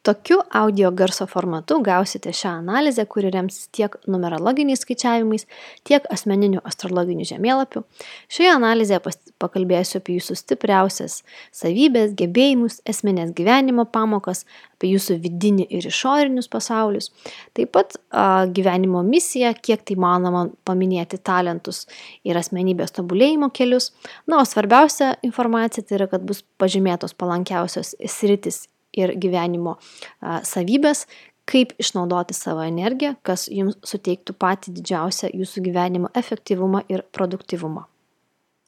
Tokiu audio garso formatu gausite šią analizę, kuri remsis tiek numerologiniais skaičiavimais, tiek asmeniniu astrologiniu žemėlapiu. Šioje analizėje pakalbėsiu apie jūsų stipriausias savybės, gebėjimus, esminės gyvenimo pamokas, apie jūsų vidinį ir išorinius pasaulius. Taip pat gyvenimo misiją, kiek tai manoma paminėti talentus ir asmenybės tobulėjimo kelius. O svarbiausia informacija tai yra, kad bus pažymėtos palankiausios sritis ir gyvenimo savybės, kaip išnaudoti savo energiją, kas jums suteiktų patį didžiausią jūsų gyvenimo efektyvumą ir produktyvumą.